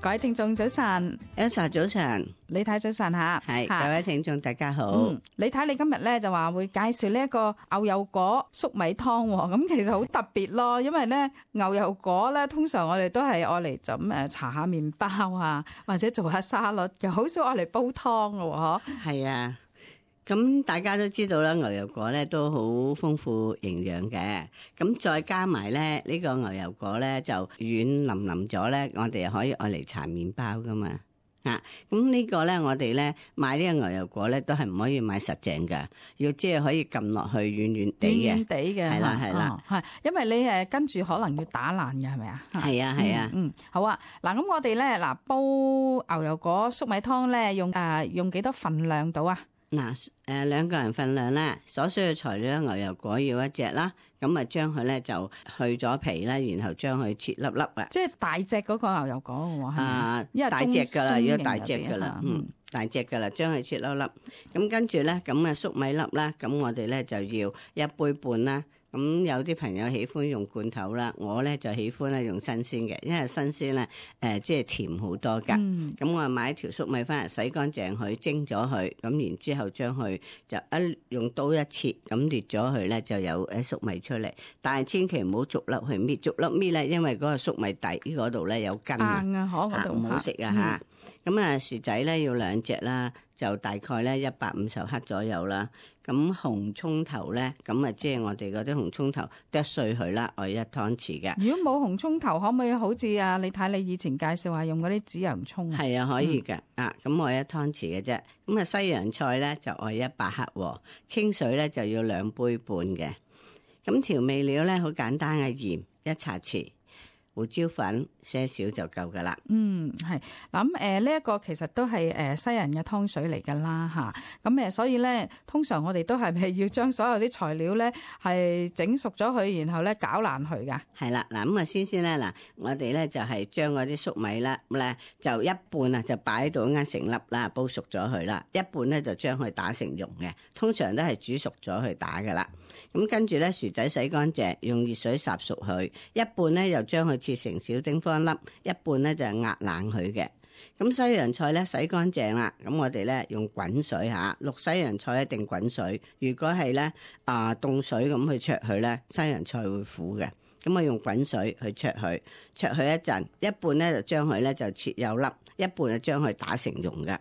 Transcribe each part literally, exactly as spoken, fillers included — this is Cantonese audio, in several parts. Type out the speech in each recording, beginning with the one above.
各位聽眾早晨 Elsa 早晨，李太早晨吓，係各位聽眾大家好。嗯，李太你今日咧就話會介紹呢一個牛油果粟米湯，咁其實好特別咯，因為咧牛油果咧通常我哋都係愛嚟咁誒搽下麵包啊，或者做下沙律，又好少愛嚟煲湯㗎嗬。係啊。咁大家都知道啦，牛油果咧都好豐富營養嘅，咁再加埋咧呢個牛油果咧就軟腍腍咗咧，我哋又可以愛嚟搽麵包噶嘛，啊，咁呢個咧我哋咧買呢個牛油果咧都係唔可以買實淨噶，要即係可以撳落去軟軟地嘅，軟軟地嘅，係啦係啦，係，因為你誒跟住可能要打爛嘅係咪啊？係啊係啊，嗯，好啊，嗱咁我哋咧嗱煲牛油果粟米湯咧用誒用幾多份量到啊？嗱，誒兩個人份量啦，所需嘅材料牛油果要一隻啦，咁啊將佢咧就去咗皮啦，然後將佢切粒粒啊，即係大隻嗰個牛油果喎，係咪？啊，因為大隻噶啦，如果大隻噶啦，啦，嗯，大隻噶啦，將佢切粒粒，咁跟住咧，咁啊粟米粒啦，咁我哋咧就要一杯半啦。咁有啲朋友喜歡用罐頭啦，我咧就喜歡咧用新鮮嘅，因為新鮮咧誒即係甜好多噶。咁、嗯、我買一條粟米翻嚟，洗乾淨佢，蒸咗佢，咁然之後將佢就一用刀一切，咁裂咗佢咧就有誒粟米出嚟。但係千祈唔好逐粒去搣，逐粒搣咧，因為嗰個粟米底嗰度咧有根啊，嚇唔好食啊嚇。咁啊薯仔咧要兩隻啦，就大概咧一百五十克左右啦。咁紅葱頭咧，咁啊即係我哋嗰啲紅葱頭剁碎佢啦，我一湯匙嘅。如果冇紅葱頭，可唔可以好似啊？你睇你以前介紹話用嗰啲紫洋葱啊？係啊，可以嘅、嗯。啊，咁我一湯匙嘅啫。咁啊西洋菜咧就愛一百克，清水咧就要兩杯半嘅。咁調味料咧好簡單嘅，鹽一茶匙。胡椒粉些少就夠噶啦。嗯，係嗱咁誒，呢一個其實都係誒西人嘅湯水嚟噶啦吓。咁誒，所以咧，通常我哋都係咪要將所有啲材料咧係整熟咗佢，然後咧攪爛佢噶？係啦，嗱咁啊，先先咧嗱，我哋咧就係將嗰啲粟米啦，咁咧就一半啊就擺喺度啱成粒啦，煲熟咗佢啦，一半咧就將佢打成蓉嘅，通常都係煮熟咗去打噶啦。咁跟住咧薯仔洗乾淨，用熱水烚熟佢，一半咧又將佢切成小丁方粒，一半咧就係壓冷佢嘅。咁西洋菜咧洗乾淨啦，咁我哋咧用滾水吓，淥西洋菜一定滾水。如果係咧啊凍水咁去焯佢咧，西洋菜會苦嘅。咁啊用滾水去焯佢，焯佢一陣，一半咧就將佢咧就切幼粒，一半就將佢打成蓉嘅。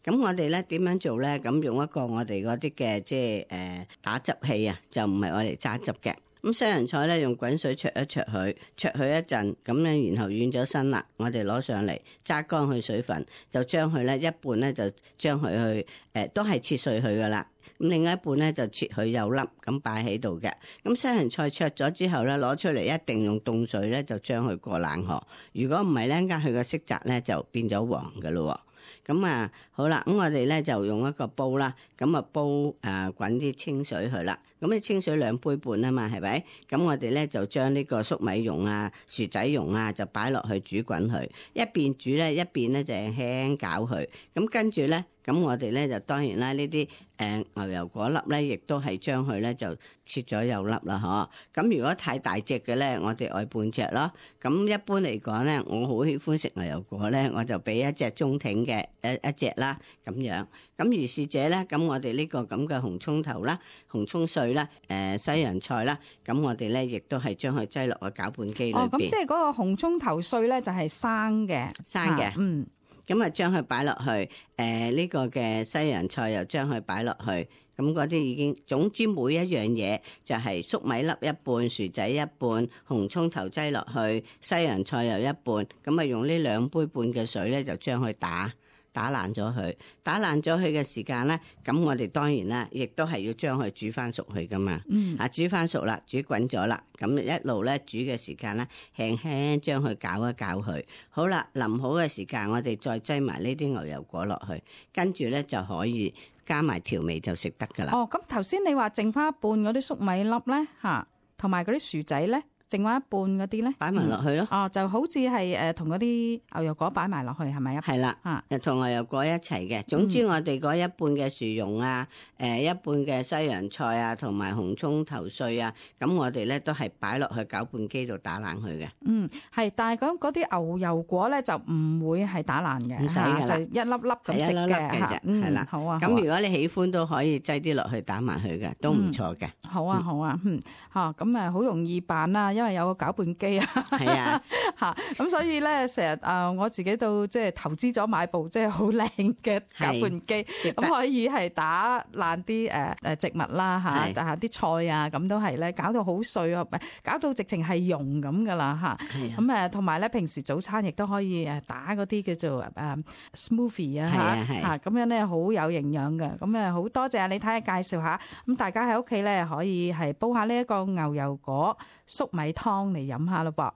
咁我哋咧點樣做咧？咁用一個我哋嗰啲嘅即係誒打汁器啊，就唔係我嚟揸汁嘅。咁西洋菜咧用滾水焯一焯佢，焯佢一陣，咁咧然後軟咗身啦，我哋攞上嚟揸乾去水分，就將佢咧一半咧就將佢去誒、呃、都係切碎佢噶啦，咁另外一半咧就切佢幼粒咁擺喺度嘅。咁西洋菜焯咗之後咧攞出嚟一定用凍水咧就將佢過冷河，如果唔係咧，間佢個色澤咧就變咗黃噶咯。咁啊，好啦，咁我哋咧就用一個煲啦，咁啊煲誒滾啲清水去啦。咁啲清水兩杯半啊嘛，係咪？咁我哋咧就將呢個粟米蓉啊、薯仔蓉啊，就擺落去煮滾佢。一邊煮咧，一邊咧就輕輕攪佢。咁跟住咧，咁我哋咧就當然啦，呢啲誒牛油果粒咧，亦都係將佢咧就切咗幼粒啦，嗬。咁如果太大隻嘅咧，我哋愛半隻咯。咁一般嚟講咧，我好喜歡食牛油果咧，我就俾一隻中挺嘅一一隻啦，咁樣。咁如是者咧，咁我哋呢個咁嘅紅葱頭啦、紅葱碎啦、誒西洋菜啦，咁我哋咧亦都係將佢擠落個攪拌機裏邊。哦，咁即係嗰個紅葱頭碎咧就係生嘅，生嘅，嗯。咁啊，將佢擺落去，誒、呃、呢、這個嘅西洋菜又將佢擺落去，咁嗰啲已經，總之每一樣嘢就係粟米粒一半，薯仔一半，紅葱頭擠落去，西洋菜又一半，咁啊用呢兩杯半嘅水咧，就將佢打。打爛咗佢，打爛咗佢嘅時間咧，咁我哋當然啦，亦都係要將佢煮翻熟佢噶嘛。嗯，啊煮翻熟啦，煮滾咗啦，咁一路咧煮嘅時間咧，輕輕將佢攪一攪佢。好啦，淋好嘅時間，我哋再擠埋呢啲牛油果落去，跟住咧就可以加埋調味就食得噶啦。哦，咁頭先你話剩翻一半嗰啲粟米粒咧，吓，同埋嗰啲薯仔咧。剩翻一半嗰啲咧，擺埋落去咯。哦，就好似係誒同嗰啲牛油果擺埋落去，係咪啊？係啦，啊，就同牛油果一齊嘅。總之我哋嗰一半嘅薯蓉啊，誒一半嘅西洋菜啊，同埋紅葱頭碎啊，咁我哋咧都係擺落去攪拌機度打爛佢嘅。嗯，係，但係咁嗰啲牛油果咧就唔會係打爛嘅，唔使㗎啦，就一粒粒咁食係一粒粒嘅嘅啫，係啦。好啊。咁如果你喜歡都可以擠啲落去打埋佢嘅，都唔錯嘅。好啊，好啊，嗯，嚇咁誒好容易辦啦，因為有個攪拌機啊。係啊，嚇咁所以咧，成日誒我自己都即係投資咗買部即係好靚嘅攪拌機，咁可以係打爛啲誒誒植物啦嚇，但係啲菜啊咁都係咧搞到好碎啊，唔係搞到直情係溶咁噶啦嚇。咁誒同埋咧，平時早餐亦都可以誒打嗰啲叫做誒 smoothie 啊嚇嚇，咁樣咧好有營養嘅。咁誒好多謝你睇下介紹下，咁大家喺屋企咧可以係煲下呢一個牛油果粟米湯嚟飲下咯噃。